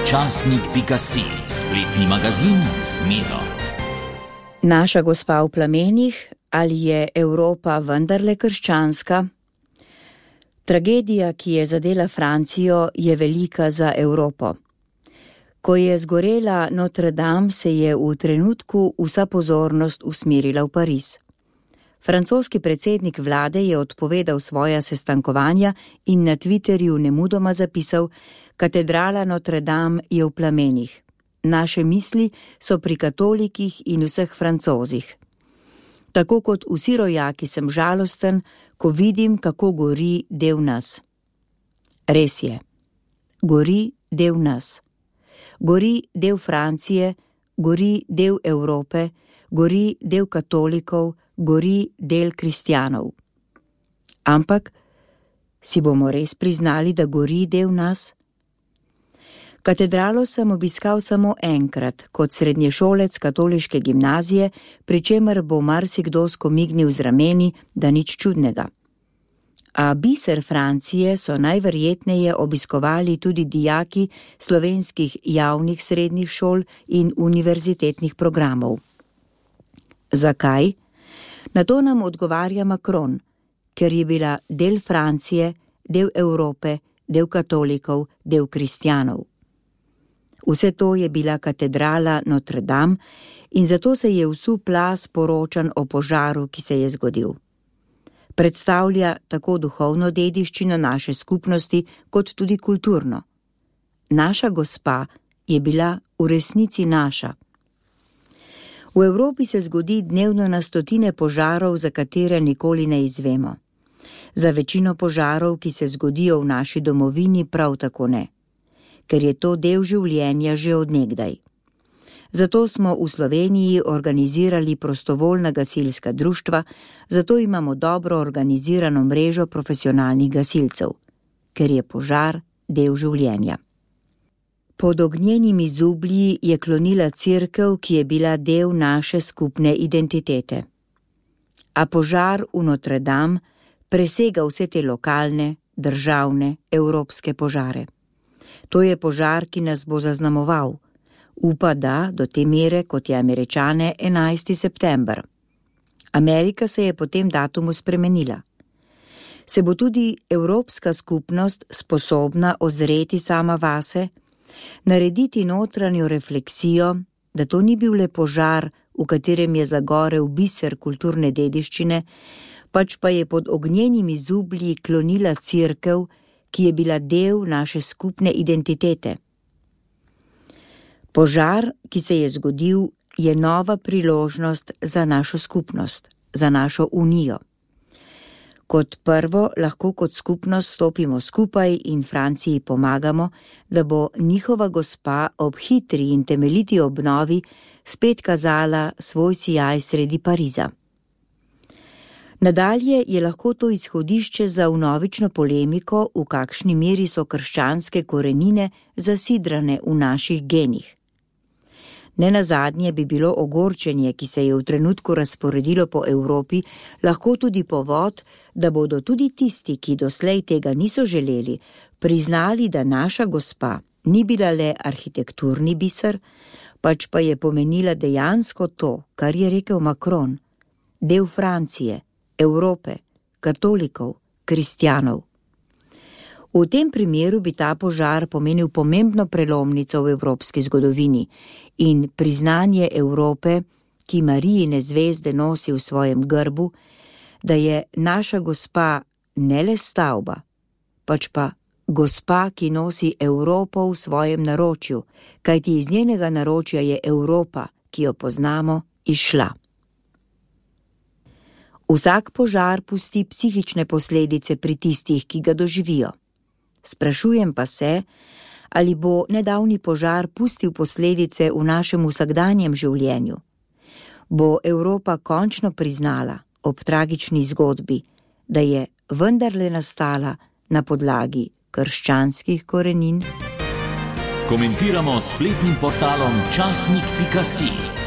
Časnik.si, spletni magazin z Miro. Naša gospa v plamenih, ali je Evropa vendarle krščanska? Tragedija, ki je zadela Francijo, je velika za Evropo. Ko je zgorela Notre Dame, se je v trenutku vsa pozornost usmerila v Pariz. Francoski predsednik vlade je odpovedal svoja sestankovanja in na Twitterju nemudoma zapisal: Katedrala Notre Dame je v plamenih. Naše misli so pri katolikih in vseh Francozih. Tako kot vsi rojaki sem žalosten, ko vidim, kako gori del nas. Res je. Gori del nas. Gori del Francije, gori del Evrope, gori del katolikov, gori del kristjanov. Ampak si bomo res priznali, da gori del nas? Katedralo sem obiskal samo enkrat, kot srednješolec katoliške gimnazije, pri čemer bo marsikdo skomignil z rameni, da nič čudnega. A biser Francije so najverjetneje obiskovali tudi dijaki slovenskih javnih srednjih šol in univerzitetnih programov. Zakaj? Na to nam odgovarja Macron, ker je bila del Francije, del Evrope, del katolikov, del kristjanov. Vse to je bila katedrala Notre Dame in zato se je vsul plaz poročanj o požaru, ki se je zgodil. Predstavlja tako duhovno dediščino naše skupnosti, kot tudi kulturno. Naša gospa je bila v resnici naša. V Evropi se zgodi dnevno na stotine požarov, za katere nikoli ne izvemo. Za večino požarov, ki se zgodijo v naši domovini, prav tako ne, ker je to del življenja že od nekdaj. Zato smo v Sloveniji organizirali prostovoljna gasilska društva, zato imamo dobro organizirano mrežo profesionalnih gasilcev, ker je požar del življenja. Pod ognjenimi zublji je klonila cerkev, ki je bila del naše skupne identitete. A požar v Notre Dame presega vse te lokalne, državne, evropske požare. To je požar, ki nas bo zaznamoval. Upa, da do te mere, kot je Američane, 11. september. Amerika se je po tem datumu spremenila. Se bo tudi evropska skupnost sposobna ozreti sama vase, narediti notranjo refleksijo, da to ni bil le požar, v katerem je zagorel biser kulturne dediščine, pač pa je pod ognjenimi zublji klonila cerkev, ki je bila del naše skupne identitete. Požar, ki se je zgodil, je nova priložnost za našo skupnost, za našo unijo. Kot prvo lahko kot skupnost stopimo skupaj in Franciji pomagamo, da bo njihova gospa ob hitri in temeljiti obnovi spet kazala svoj sijaj sredi Pariza. Nadalje je lahko to izhodišče za vnovično polemiko, v kakšni meri so krščanske korenine zasidrane v naših genih. Nenazadnje bi bilo ogorčenje, ki se je v trenutku razporedilo po Evropi, lahko tudi povod, da bodo tudi tisti, ki doslej tega niso želeli, priznali, da naša gospa ni bila le arhitekturni biser, pač pa je pomenila dejansko to, kar je rekel Macron, del Francije, Evrope, katolikov, kristjanov. V tem primeru bi ta požar pomenil pomembno prelomnico v evropski zgodovini in priznanje Evrope, ki Marijine zvezde nosi v svojem grbu, da je naša gospa ne le stavba, pač pa gospa, ki nosi Evropo v svojem naročju, kajti iz njenega naročja je Evropa, ki jo poznamo, izšla. Vsak požar pusti psihične posledice pri tistih, ki ga doživijo. Sprašujem pa se, ali bo nedavni požar pustil posledice v našem vsakdanjem življenju. Bo Evropa končno priznala ob tragični zgodbi, da je vendarle nastala na podlagi krščanskih korenin? Komentiramo s spletnim portalom Časnik.si.